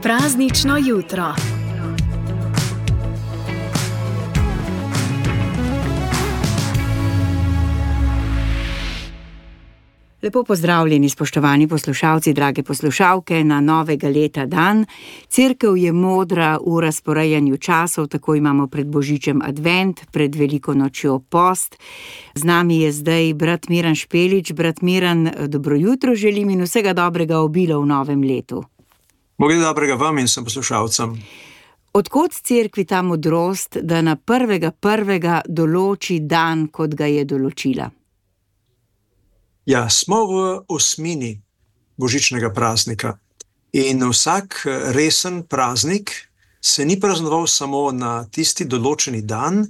Praznično jutro. Lepo pozdravljeni, spoštovani poslušalci, drage poslušalke, na novega leta dan. Cerkev je modra v razporejanju časov, tako imamo pred Božičem advent, pred Veliko nočjo post. Z nami je zdaj brat Miran Špelič. Brat Miran, dobro jutro želim in vsega dobrega obilo v novem letu. Bog dobrega vam in vsem poslušalcem. Od kod cerkvi ta modrost, da na 1.1. določi dan, kot ga je določila? Ja, smo v osmini božičnega praznika in vsak resen praznik se ni praznoval samo na tisti določeni dan,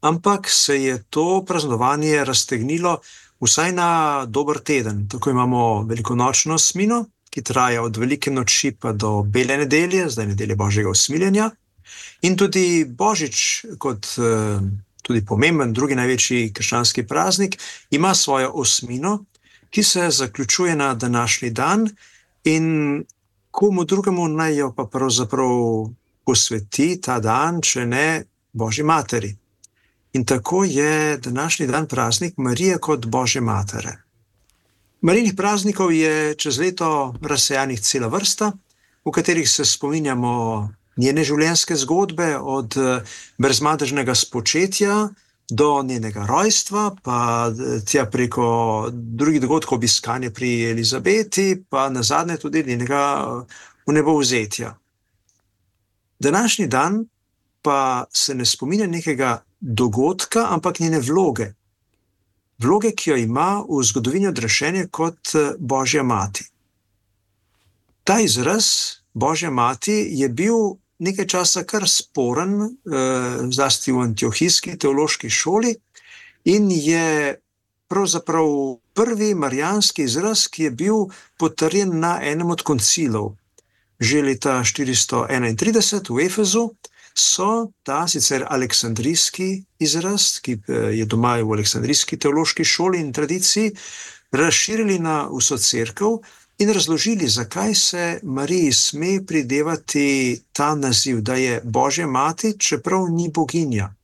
ampak se je to praznovanje raztegnilo vsaj na dober teden. Tako imamo velikonočno osmino, ki traja od velike noči pa do bele nedelje, zdaj nedelje Božjega usmiljenja, in tudi Božič kot tudi pomemben, drugi največji krščanski praznik, ima svojo osmino, ki se zaključuje na današnji dan in komu drugemu naj jo pa pravzaprav posveti ta dan, če ne Božji materi. In tako je današnji dan praznik Marije kot Božje matere. Marijnih praznikov je čez leto razsejanih cela vrsta, v katerih se spominjamo njene življenjske zgodbe, od brezmadežnega spočetja do njenega rojstva, pa tja preko drugih dogodkov obiskanja pri Elizabeti, pa nazadnje tudi njenega vnebovzetja. Današnji dan pa se ne spominja nekega dogodka, ampak njene vloge. Vloge, ki jo ima v zgodovini odrešenja kot Božja mati. Ta izraz Božja mati je bil nekaj časa kar sporen, zlasti v antiohijski teološki šoli, in je pravzaprav prvi marijanski izraz, ki je bil potrjen na enem od koncilov. Že leta 431 v Efezu so ta sicer aleksandrijski izraz, ki je doma v aleksandrijski teološki šoli in tradiciji, razširili na vso cerkev in razložili, zakaj se Mariji sme pridevati ta naziv, da je Božja mati, čeprav ni boginja.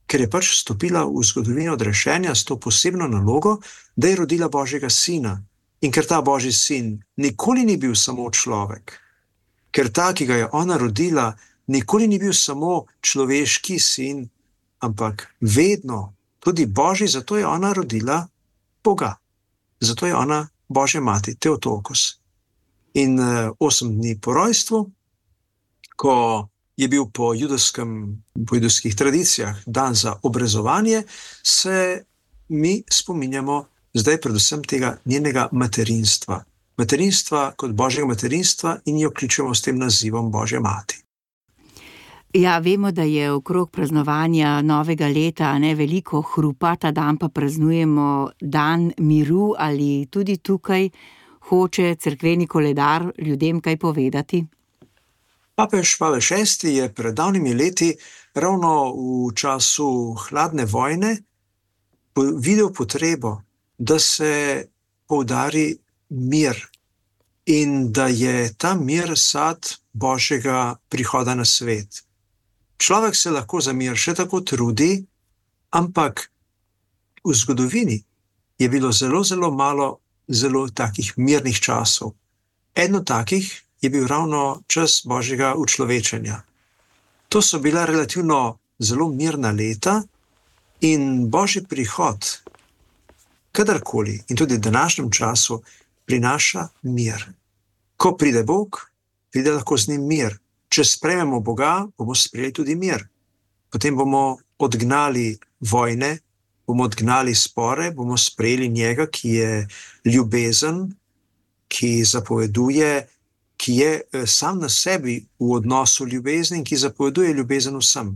Ker je pač stopila v zgodovino odrešenja s to posebno nalogo, da je rodila Božjega sina. In ker ta Božji sin nikoli ni bil samo človek, ker ta, ki ga je ona rodila, nikoli ni bil samo človeški sin, ampak vedno tudi Božji, zato je ona rodila Boga. Zato je ona Božja mati, Teotokos. In 8 dni po rojstvu, ko je bil po judovskih tradicijah dan za obrezovanje, se mi spominjamo zdaj predvsem tega njenega materinstva. Materinstva kot Božjega materinstva in jo kličemo s tem nazivom Božja mati. Ja, vemo, da je okrog praznovanja novega leta veliko hrupa, ta dan pa praznujemo dan miru, ali tudi tukaj hoče cerkveni koledar ljudem kaj povedati? Papež Pavel VI je pred davnimi leti, ravno v času hladne vojne, videl potrebo, da se poudari mir in da je ta mir sad Božjega prihoda na svet. Človek se lahko za mir še tako trudi, ampak v zgodovini je bilo zelo, zelo malo zelo takih mirnih časov. Eno takih je bil ravno čas Božjega učlovečenja. To so bila relativno zelo mirna leta in Božji prihod, kadarkoli in tudi v današnjem času, prinaša mir. Ko pride Bog, pride lahko z njim mir. Če sprejmemo Boga, bomo sprejeli tudi mir. Potem bomo odgnali vojne, bomo odgnali spore, bomo sprejeli njega, ki je ljubezen, ki zapoveduje, ki je sam na sebi v odnosu ljubezni in ki zapoveduje ljubezen vsem.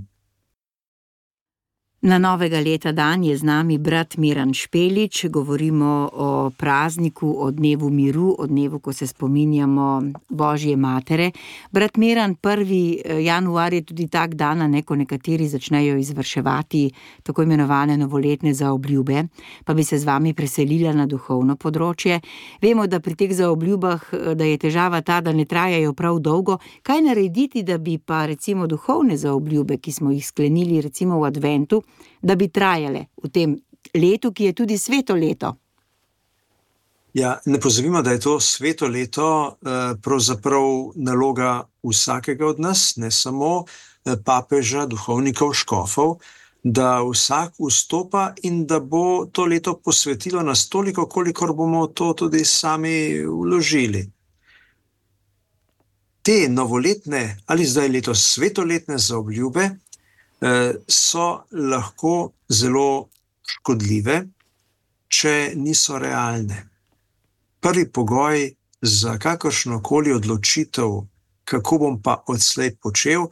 Na novega leta dan je z nami brat Miran Špelič. Govorimo o prazniku, o dnevu miru, o dnevu, ko se spominjamo Božje matere. Brat Miran, 1. januar je tudi tak dan, ko nekateri začnejo izvrševati tako imenovane novoletne zaobljube, pa bi se z vami preselila na duhovno področje. Vemo, da pri teh zaobljubah, da je težava ta, da ne trajajo prav dolgo. Kaj narediti, da bi pa recimo duhovne zaobljube, ki smo jih sklenili recimo v adventu, da bi trajale v tem letu, ki je tudi sveto leto? Ja, ne pozabimo, da je to sveto leto pravzaprav naloga vsakega od nas, ne samo papeža, duhovnikov, škofov, da vsak vstopa in da bo to leto posvetilo nas toliko, kolikor bomo to tudi sami vložili. Te novoletne ali zdaj letos svetoletne zaobljube so lahko zelo škodljive, če niso realne. Prvi pogoj za kakršnokoli odločitev, kako bom pa odslej počel,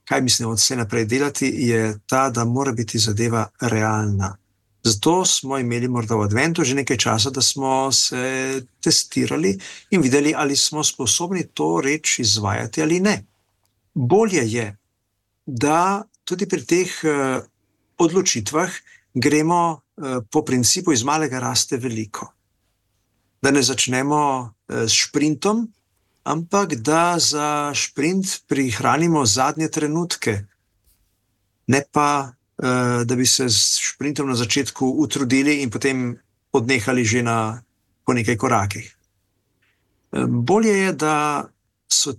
kaj mislim odslej naprej delati, je ta, da mora biti zadeva realna. Zato smo imeli morda v adventu že nekaj časa, da smo se testirali in videli, ali smo sposobni to reč izvajati ali ne. Bolje je, da tudi pri teh odločitvah gremo po principu iz malega raste veliko. Da ne začnemo s šprintom, ampak da za šprint prihranimo zadnje trenutke. Ne pa, da bi se s šprintom na začetku utrudili in potem odnehali že po nekaj korakih. Bolje je, da so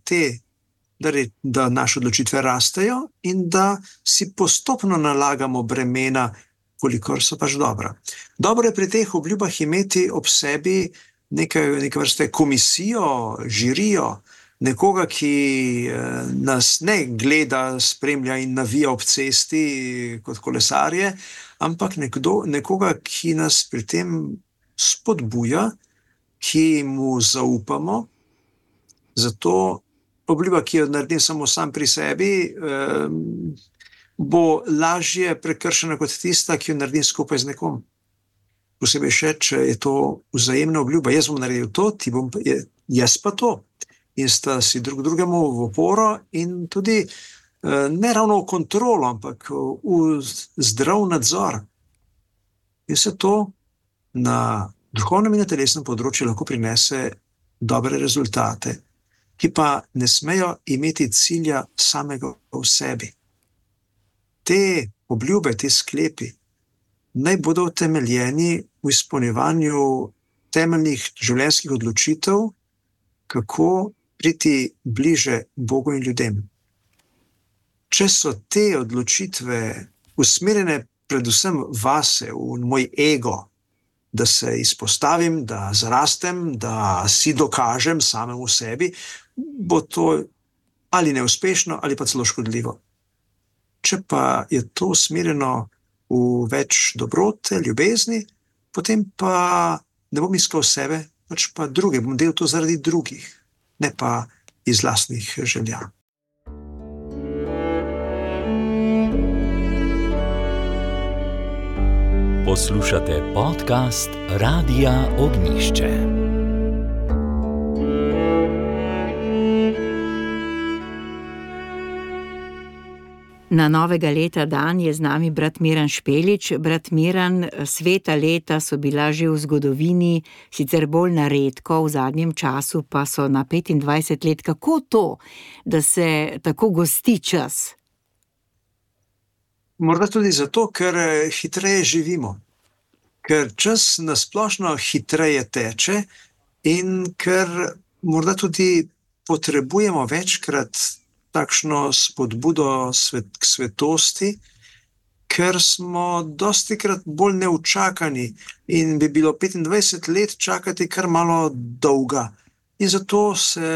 da naše odločitve rastejo in da si postopno nalagamo bremena, kolikor so pač dobra. Dobro je pri teh obljubah imeti ob sebi neke vrste komisijo, žirijo, nekoga, ki nas ne gleda, spremlja in navija ob cesti kot kolesarje, ampak nekoga, ki nas pri tem spodbuja, ki mu zaupamo. Zato obljuba, ki jo naredim samo sam pri sebi, bo lažje prekršena kot tista, ki jo naredim skupaj z nekom. Posebej še, če je to vzajemna obljuba. Jaz bom naredil to, jaz pa to. In sta si drug drugemu v oporo in tudi ne ravno v kontrolo, ampak v zdrav nadzor. In se to na duhovnem in na telesnem področju lahko prinese dobre rezultate, ki pa ne smejo imeti cilja samega v sebi. Te obljube, te sklepi naj bodo utemeljeni v izpolnjevanju temeljnih življenjskih odločitev, kako priti bliže Bogu in ljudem. Če so te odločitve usmerjene predvsem vase, v moj ego, da se izpostavim, da zarastem, da si dokažem samemu sebi, bo to ali neuspešno, ali pa celo škodljivo. Če pa je to usmerjeno v več dobrote, ljubezni, potem pa ne bom iskal sebe, pač pa druge, bom delal to zaradi drugih, ne pa iz lastnih želja. Poslušate podcast Radia Ognjišče. Na novega leta dan je z nami brat Miran Špelič. Brat Miran, sveta leta so bila že v zgodovini, sicer bolj na redko, v zadnjem času pa so na 25 let. Kako to, da se tako gosti čas? Morda tudi zato, ker hitreje živimo. Ker čas nasplošno hitreje teče in ker morda tudi potrebujemo večkrat takšno spodbudo k svetosti, ker smo dostikrat bolj neučakani in bi bilo 25 let čakati kar malo dolga. In zato se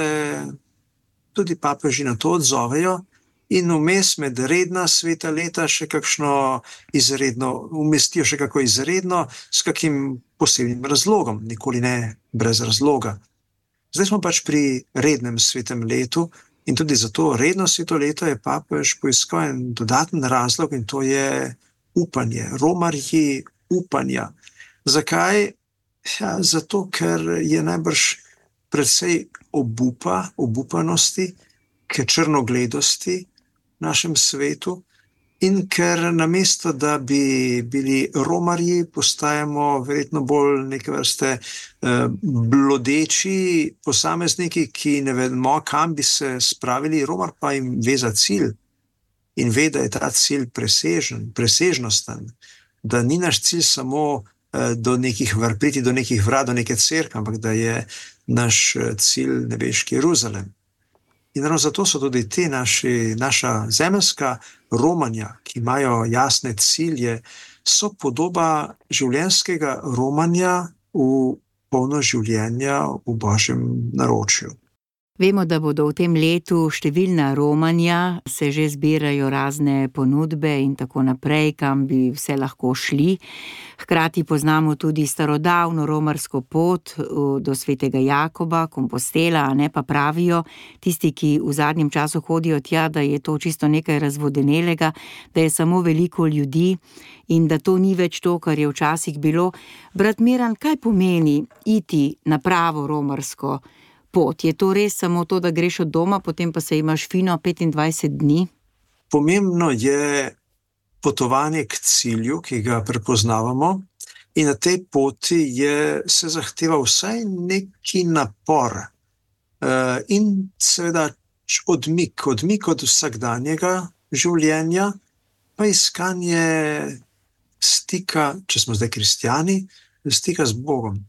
tudi papeži na to odzovejo in vmes med redna sveta leta še kakšno izredno, umestijo še kako izredno s kakim posebnim razlogom, nikoli ne brez razloga. Zdaj smo pač pri rednem svetem letu in tudi za to redno sveto leto je papež poiskal en dodaten razlog in to je upanje, romarji upanja. Zakaj? Ja, zato, ker je najbrž precej obupanosti, k črnogledosti v našem svetu in ker namesto, da bi bili romarji, postajamo verjetno bolj neke vrste blodeči posamezniki, ki ne vemo, kam bi se spravili, romar pa jim ve za cilj in ve, da je ta cilj presežnosten, da ni naš cilj samo priti do nekih vrat, do neke cerkve, ampak da je naš cilj nebeški Jeruzalem. In ravno zato so tudi naša zemeljska romanja, ki imajo jasne cilje, so podoba življenjskega romanja v polno življenja v Božjem naročju. Vemo, da bodo v tem letu številna romanja, se že zbirajo razne ponudbe in tako naprej, kam bi vse lahko šli. Hkrati poznamo tudi starodavno romarsko pot do svetega Jakoba, Kompostela, a ne, pa pravijo tisti, ki v zadnjem času hodijo tja, da je to čisto nekaj razvodenelega, da je samo veliko ljudi in da to ni več to, kar je včasih bilo. Brat Miran, kaj pomeni iti na pravo romarsko pot? Je to res samo to, da greš od doma, potem pa se imaš fino 25 dni? Pomembno je potovanje k cilju, ki ga prepoznavamo, in na tej poti se zahteva vsaj neki napor in seveda odmik od vsakdanjega življenja, pa iskanje stika, če smo zdaj kristjani, stika z Bogom.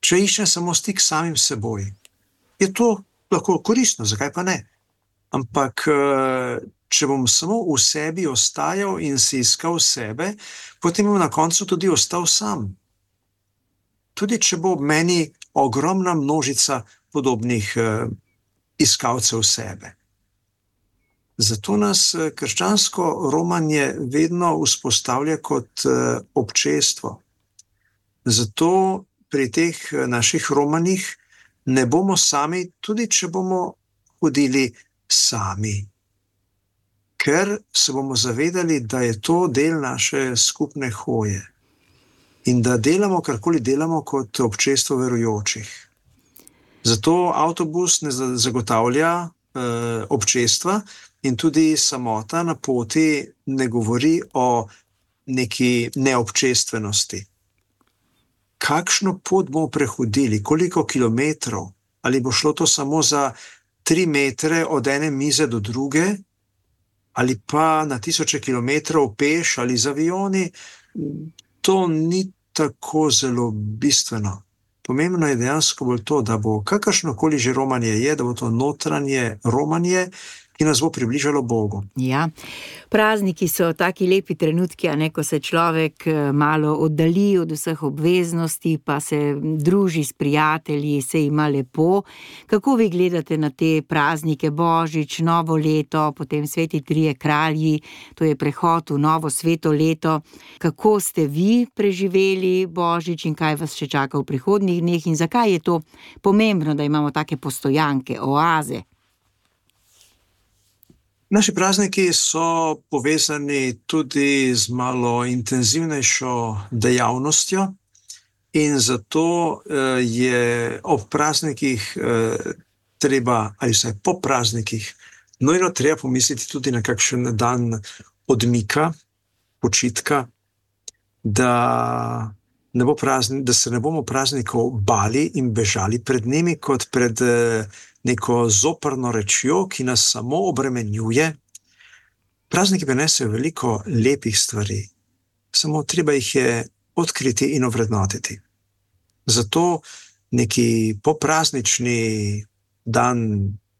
Če iščem samo stik s samim seboj, je to lahko koristno, zakaj pa ne? Ampak če bom samo v sebi ostajal in si iskal sebe, potem bom na koncu tudi ostal sam. Tudi če bo v meni ogromna množica podobnih iskalcev sebe. Zato nas krščansko romanje vedno vzpostavlja kot občestvo. Zato pri teh naših romanjih ne bomo sami, tudi če bomo hodili sami. Ker se bomo zavedali, da je to del naše skupne hoje in da delamo, karkoli delamo, kot občestvo verujočih. Zato avtobus ne zagotavlja občestva in tudi samota na poti ne govori o neki neobčestvenosti. Kakšno pot bomo prehodili, koliko kilometrov, ali bo šlo to samo za 3 metre od ene mize do druge, ali pa na 1000 kilometrov peš ali z avioni, to ni tako zelo bistveno. Pomembno je dejansko bolj to, da bo kakršnokoli že romanje je, da bo to notranje romanje, ki nas bo približalo Bogu. Ja, prazniki so taki lepi trenutki, a ne, ko se človek malo oddali od vseh obveznosti, pa se druži s prijatelji, se ima lepo. Kako vi gledate na te praznike, Božič, novo leto, potem sveti trije kralji, to je prehod v novo sveto leto. Kako ste vi preživeli Božič in kaj vas še čaka v prihodnjih dneh in zakaj je to pomembno, da imamo take postojanke, oaze? Naši prazniki so povezani tudi z malo intenzivnejšo dejavnostjo in zato je ob praznikih treba, ali vsaj po praznikih, nujno treba pomisliti tudi na kakšen dan odmika, počitka, da se ne bomo praznikov bali in bežali pred njimi kot pred neko zoprno rečjo, ki nas samo obremenjuje. Prazniki prinesejo veliko lepih stvari, samo treba jih je odkriti in ovrednotiti. Zato neki popraznični dan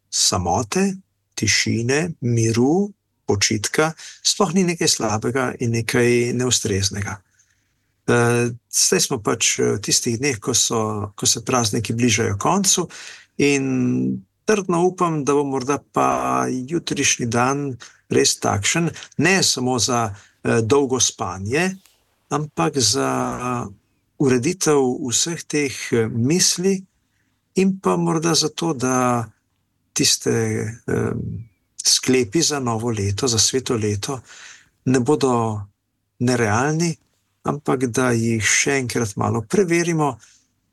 samote, tišine, miru, počitka, sploh ni nekaj slabega in nekaj neustreznega. Zdaj smo pač v tistih dneh, ko se prazniki bližajo koncu, in trdno upam, da bo morda pa jutrišnji dan res takšen, ne samo za dolgo spanje, ampak za ureditev vseh teh misli in pa morda zato, da tiste sklepi za novo leto, za sveto leto, ne bodo nerealni, ampak da jih še enkrat malo preverimo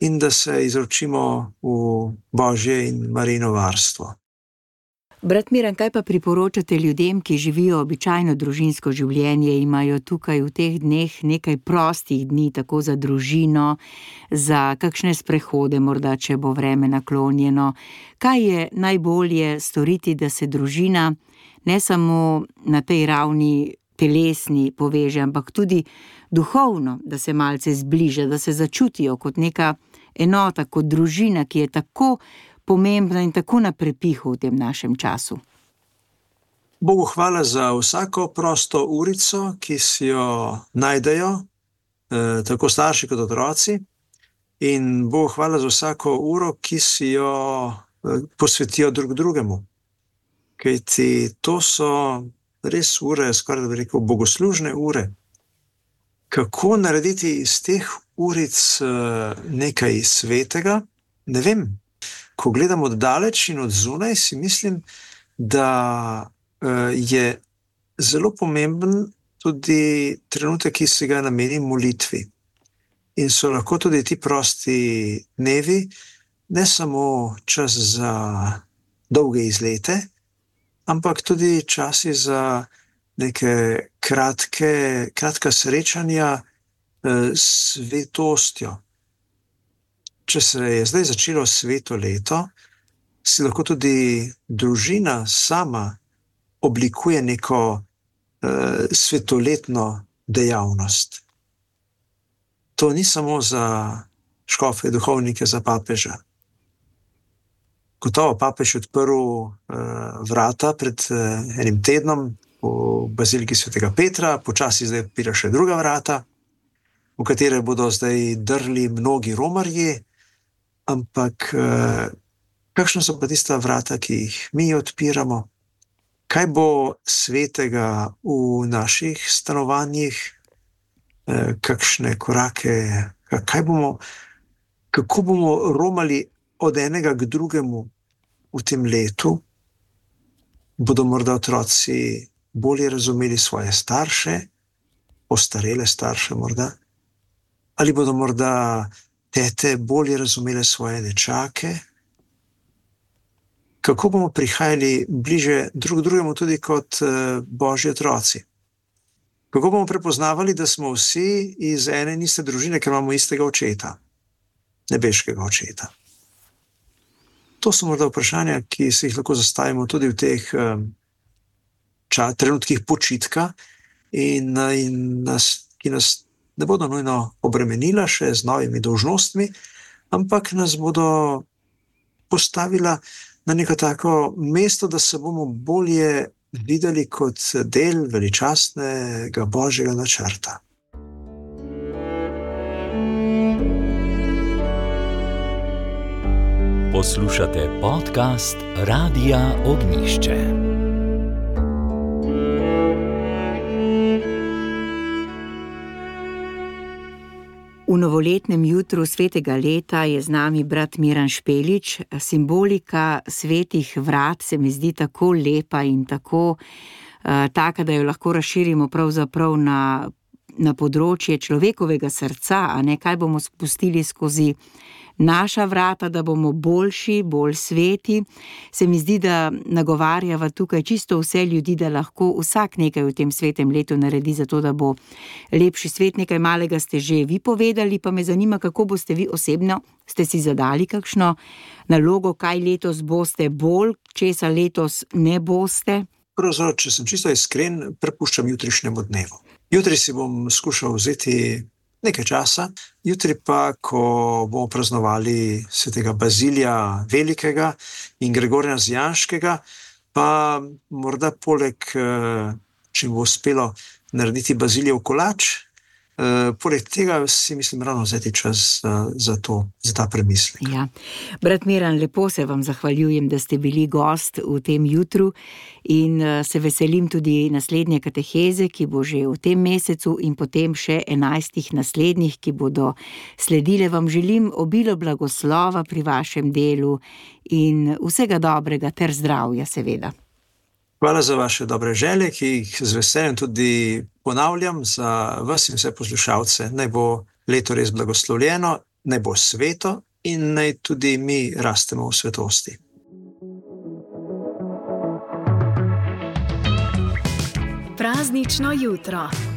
in da se izročimo v Božje in Marijino varstvo. Brat Miran, kaj pa priporočate ljudem, ki živijo običajno družinsko življenje, imajo tukaj v teh dneh nekaj prostih dni, tako za družino, za kakšne sprehode, morda, če bo vreme naklonjeno. Kaj je najbolje storiti, da se družina ne samo na tej ravni telesni poveže, ampak tudi duhovno, da se malce zbliža, da se začutijo kot neka enota, kot družina, ki je tako pomembna in tako na prepihu v tem našem času? Bogu hvala za vsako prosto urico, ki si jo najdejo, tako starši kot otroci, in Bogu hvala za vsako uro, ki si jo posvetijo drug drugemu. Kajti to so res ure, skoraj da bi rekel, bogoslužne ure. Kako narediti iz teh uric nekaj svetega? Ne vem. Ko gledam od daleč in od zunaj, si mislim, da je zelo pomemben tudi trenutek, ki se ga nameni molitvi. In so lahko tudi ti prosti dnevi ne samo čas za dolge izlete, ampak tudi časi za neke kratka srečanja s svetostjo. Če se je zdaj začelo sveto leto, si lahko tudi družina sama oblikuje neko svetoletno dejavnost. To ni samo za škofe, duhovnike, za papeža. Gotovo papež je odprl vrata pred enim tednom v baziliki svetega Petra, počasi zdaj odpira še druga vrata, v katere bodo zdaj drli mnogi romarji. Ampak kakšna so pa tista vrata, ki jih mi odpiramo? Kaj bo svetega v naših stanovanjih? Kakšne korake? Kako bomo romali od enega k drugemu v tem letu? Bodo morda otroci bolje razumeli svoje starše, ostarele starše morda? Ali bodo morda tete bolje razumele svoje dečake? Kako bomo prihajali bliže drug drugemu tudi kot Božji otroci? Kako bomo prepoznavali, da smo vsi iz ene in iste družine, ker imamo istega očeta, nebeškega očeta? To so morda vprašanja, ki se jih lahko zastavimo tudi v teh trenutkih počitka in ki nas ne bodo nujno obremenila še z novimi dolžnostmi, ampak nas bodo postavila na neko tako mesto, da se bomo bolje videli kot del veličastnega Božjega načrta. Poslušate podcast Radia Ognjišče. V novoletnem jutru svetega leta je z nami brat Miran Špelič. Simbolika svetih vrat se mi zdi tako lepa in tako taka, da jo lahko razširimo pravzaprav na področje človekovega srca, a ne, kaj bomo spustili skozi naša vrata, da bomo boljši, bolj sveti. Se mi zdi, da nagovarjava tukaj čisto vse ljudi, da lahko vsak nekaj v tem svetem letu naredi za to, da bo lepši svet. Nekaj malega ste že vi povedali, pa me zanima, kako boste vi osebno, ste si zadali kakšno nalogo, kaj letos boste bolj, česa letos ne boste? Pravzaprav, če sem čisto iskren, prepuščam jutrišnjemu dnevu. Jutri si bom skušal vzeti nekaj časa, jutri pa, ko bomo praznovali svetega Bazilija Velikega in Gregorja Nazianškega, pa morda poleg, če bo uspelo narediti Bazilijev kolač, poleg tega si mislim ravno vzeti čas za ta premislek. Ja. Brat Miran, lepo se vam zahvaljujem, da ste bili gost v tem jutru in se veselim tudi naslednje kateheze, ki bo že v tem mesecu in potem še 11 naslednjih, ki bodo sledile. Vam želim obilo blagoslova pri vašem delu in vsega dobrega ter zdravja seveda. Hvala za vaše dobre želje, ki jih z veseljem tudi ponavljam za vas in vse poslušalce. Naj bo leto res blagoslovljeno, naj bo sveto in naj tudi mi rastemo v svetosti. Praznično jutro.